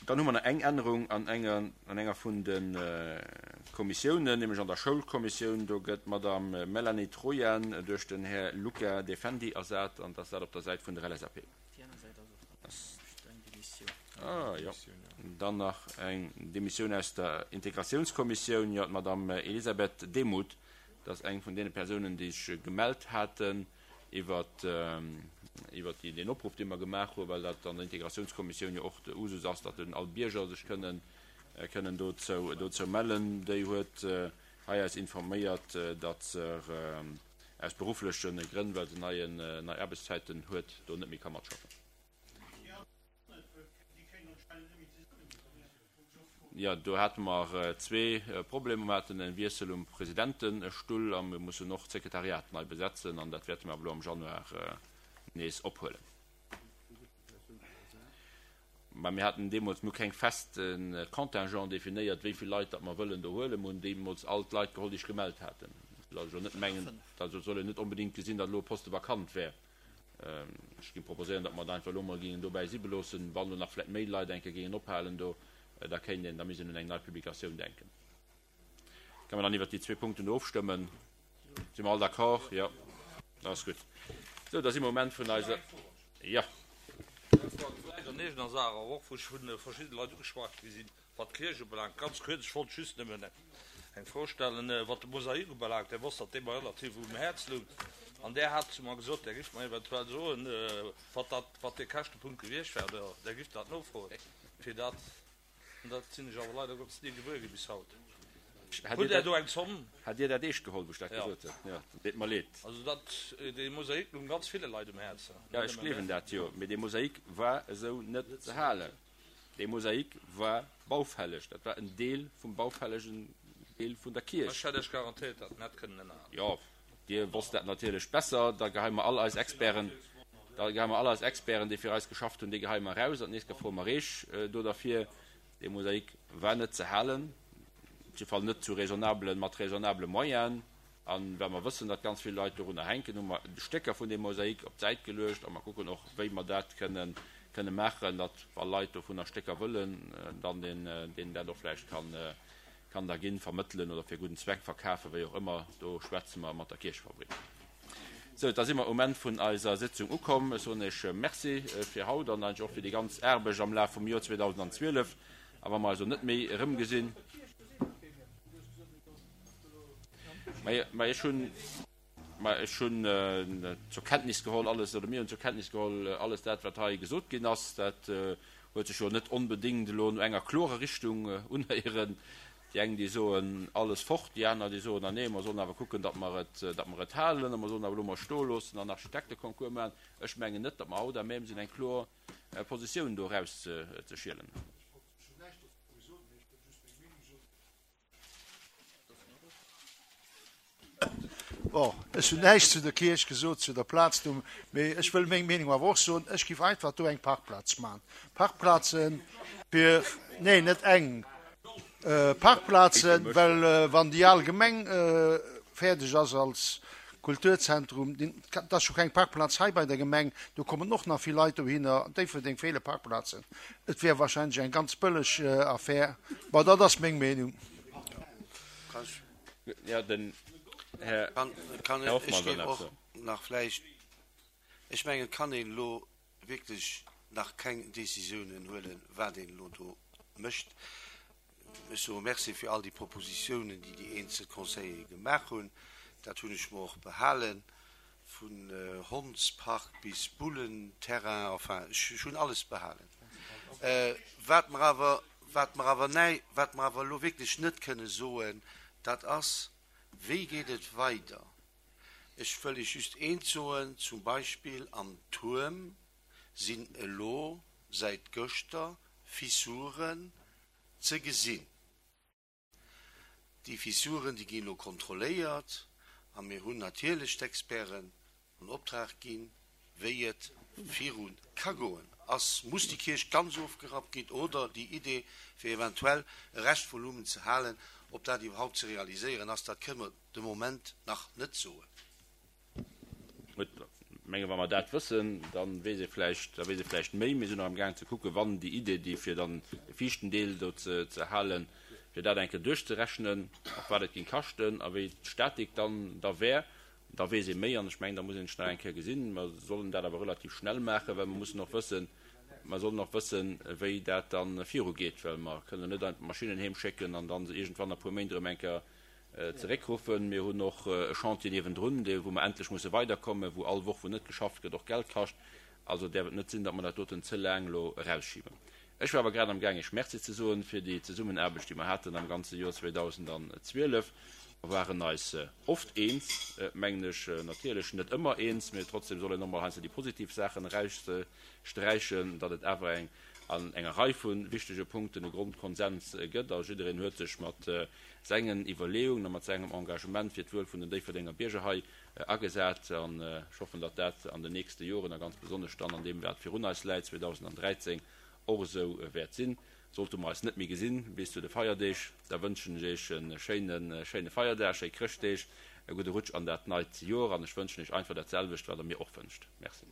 Dann hu mer nach eng Ännerung an enger, an enger vun de Kommissiounen, nämlech an der Schoulkommissioun. Do gëtt d'Madame Melanie Trojan duerch den Här Luca Defendi ersat, an dass dat op der Säit vun der LSAP. Ah jo, dann nach eng Demissioun aus der Integratiounskommissioun. Jo, d'Madame Elisabeth Demuth, dat ass eng vun deene Persounen, déi sech gemellt haten iwwert iwwert déi, deen Opruff, dee mer gemaach hunn, well dat an der Integratiounskommissioun jo och de Usus ass, datt all Bierger sech kënnen kënnen dozou dozou mellen. Déi huet hei eis informéiert, datt se aus beruffleche Grënn, well se neien nei Aarbechtszäiten huet, do net méi ka matschaffen. Jo, do hate mer zwee Problemer. Mer haten e Wiessel um Presidentestull a mir mussen och d'Sekretariat nei besetzen an dat wäerte mer awer elo am Januar nees ophuelen. Mä mir haten deemools, mir hu keng feste Contingent definéiert, wéi vill Leit datt mer wëllen do huelen. Mir hunn deemools all d'Leit geholl, déi sech gemellt haten. Et soll also net mengen, also et soll een net onbedéngt gesinn, datt elo e Poste vakant wär. Ech géing proposéieren, datt mer et einfach elo emol géingen dobäi si beloossen. Wann elo nach vläicht méi Leit eng Kéier géingen ophalen do, da kéint een, da misst een un eng nei Publikatioun denken. Kënne mer dann iwwert déi zwee Punkten do ofstëmmen? Si mer all d'accord? Jo, dat ass gutt. Sou, da si mer um Enn vun eiser. Jo. Vläicht an eegener Saach awer och, wou ech vu verschidde Leit ugeschwat gi sinn, wat d'Kierch ubelaangt. Ganz kuerz, ech wollt just nëmmen eng Fro stellen, wat de Mosaik ubelaangt. Dir wosst, datt dee mer relativ um Häerz louch. An där hat zu mer gesot, Där giff mer eventuell soen, wat dat, wat dee Käschtepunkt gewiescht wär, oder Der giff dat nofroen, fir dat. An dat sinn ech awer leider Gottes ni gewuer gi bis haut. Hutt Der do eng Zomm? Hat Dir dat eescht geholl, wou ech dat gesot hunn? Jo, dat deet mer leed. Also dat, dee Mosaik loung ganz ville Leit um Häerz. Jo, ech gleewen dat jo. Mee dee Mosaik war esou net ze halen. Dee Mosaik war baufälleg. Dat war en Deel vum baufällegen Deel vun der Kierch. Ech hätt Iech garantéiert, datt en hätt kënnen ënnerhalen. Jo, Dir wosst dat natierlech besser. Da geheie mer all eis Experten, da geheie mer all eis Experten, déi fir eis geschafft hunn, déi geheie mer eraus. An d'nächst Kéier froe mer Eech do derfir. Dee Mosaik war net ze halen, op jidde Fall net zu raisonnablen, mat raisonnabele Moyenen. A well mer wëssen, datt ganz vill Leit dorunner hänken, hu mer Stécker vun deem Mosaik op d'Säit geluecht a mer kucken och, wéi mer dat kënnen, kënne maachen, datt wa Leit dovunner Stécker wëllen, dann deen, deen dat och vläicht kann, kann da ginn, vermëttelen oder fir gudden Zweck verkafen, wéi och ëmmer. Do schwätze mer mat der Kierchefabrik. Sou, da si mer um Enn vun eiser Sitzung ukomm. Ech soen Iech Merci fir haut an eigentlech och fir déi ganz Aarbecht am Laf vum Joer 2012. A wa mer eis elo net méi erëmgesinn. Mä ech hunn, mä ech hunn zur Kenntnis geholl alles, oder mir hunn zur Kenntnis geholl alles dat, wat hei gesot ginn ass. Dat huet sech jo net onbedéngt elo no enger klorer Richtung unhéieren. Déi eng, déi soen, alles fort, déi aner, déi soen, ah nee, mer sollen awer kucken, datt mer et, datt mer et halen a mer sollen awer elo mol stoe loossen an Architekteconcours maachen. Ech mengen net, datt mer haut à même sinn, eng kloer Positioun do erauszeschielen. Bon, ech hunn näischt zu der Kierch gesot, zu der Plaz do, mee ech wëll meng Meenung awer och soen. Ech géif einfach do eng Parkplaz maachen. Parkplaze fir, neen, net eng, Parkplazen, well wann déi al Gemeng fäerdeg ass als Kulturzentrum, dat ass jo keng Parkplaz hei bei der Gemeng, do kommen och nach vill Leit dohinner. An Déifferdeng feele Parkplazen. Et wär wahrscheinlech eng ganz bëlleg Affär. Bon, dat ass meng Meenung. Jo, den Här Hoffmann wëll nach soen. Nach vläicht, ech mengen, et kann een elo wierklech nach keng Décisiounen huelen, wat een elo do mécht. Ech soe Merci fir all déi Propositiounen, déi déi eenzel Conseillere gemaach hunn. Dat hunn ech mer och behalen, vun Hondspark bis Bullenterrain, enfin, ech hunn alles behalen. Wat mer awer, wat mer awer näi, wat mer awer elo wierklech net kënne soen, dat ass, Wéi geet et weider? Ech wëll Iech just eent soen, zum Beispill am Tuerm sinn elo säit gëschter Fissuren ze gesinn. Déi Fissuren, déi ginn elo kontrolléiert a mir hunn natierlech d'Experten an Optrag ginn, wéi et viru ka goen. Ass, muss déi Kierch ganz ofgerappt ginn oder déi Idee, fir eventuell e Reschtvolumen ze halen, ob dat iwwerhaupt ze realiséieren ass, dat kënne mer de Moment nach net soen. Gutt. Menge wa mer dat wëssen, da weess ee vläicht, da weess ee vläicht méi. Mir sinn och amgaang ze kucken, wann déi Idee, déi fir dann de viischten Deel do ze ze halen, fir dat eng Kéier duerchzerechnen, och wat et géing kaschten a wéi d'Statik dann da wär, da weess ee méi. An ech mengen, da muss een sech nach eng Kéier gesinn. Mer sollen dat awer relativ schnell maachen, well mer mussen och wëssen, mer sollen och wëssen, wéi dat da virugeet, well mer kënnen net einfach d'Maschinnen heem schécken an da se iergendwann a puer Méint erëm eng Kéier zeréckruffen. Mir hunn och e Chantier niewendrun, dee wou mer endlech musse weiderkommen, wou all Woch, wou net geschafft gëtt, och Geld kascht. Also däerf et net sinn, datt mer dat doten ze laang elo erausschiben. Ech war awer grad am gaang Iech Merci ze soen fir déi Zesummenaarbecht, déi mer haten am ganze Joer 2012. Mer waren eis oft eens, mengen ech, natierlech net ëmmer eens, mee trotzdem soll een och mol heiansdo déi positiv Saachen eraussträichen, datt et awer eng an enger Rei vu wichtege Punkten e Grondkonsens gëtt a jiddereen huet sech mat sengen Iwwerleeungen a mat sengem Engagement fir d'Wuel vun den Déifferdenger Bierger hei agesat. An ech hoffen, datt dat an den nächste Joren a ganz besonnesch dann an deem, wat virun eis läit, 2013, och esou wäert sinn. Sollte mer eis net méi gesinn bis zu de Feierdeeg, da wënschen ech Iech e schéine, schéine Feierdag, schéi Chrëschtdeeg, e gudde Rutsch an dat neit Joer an ech wënschen Iech einfach dat selwecht, wat Der mir och wënscht. Merci.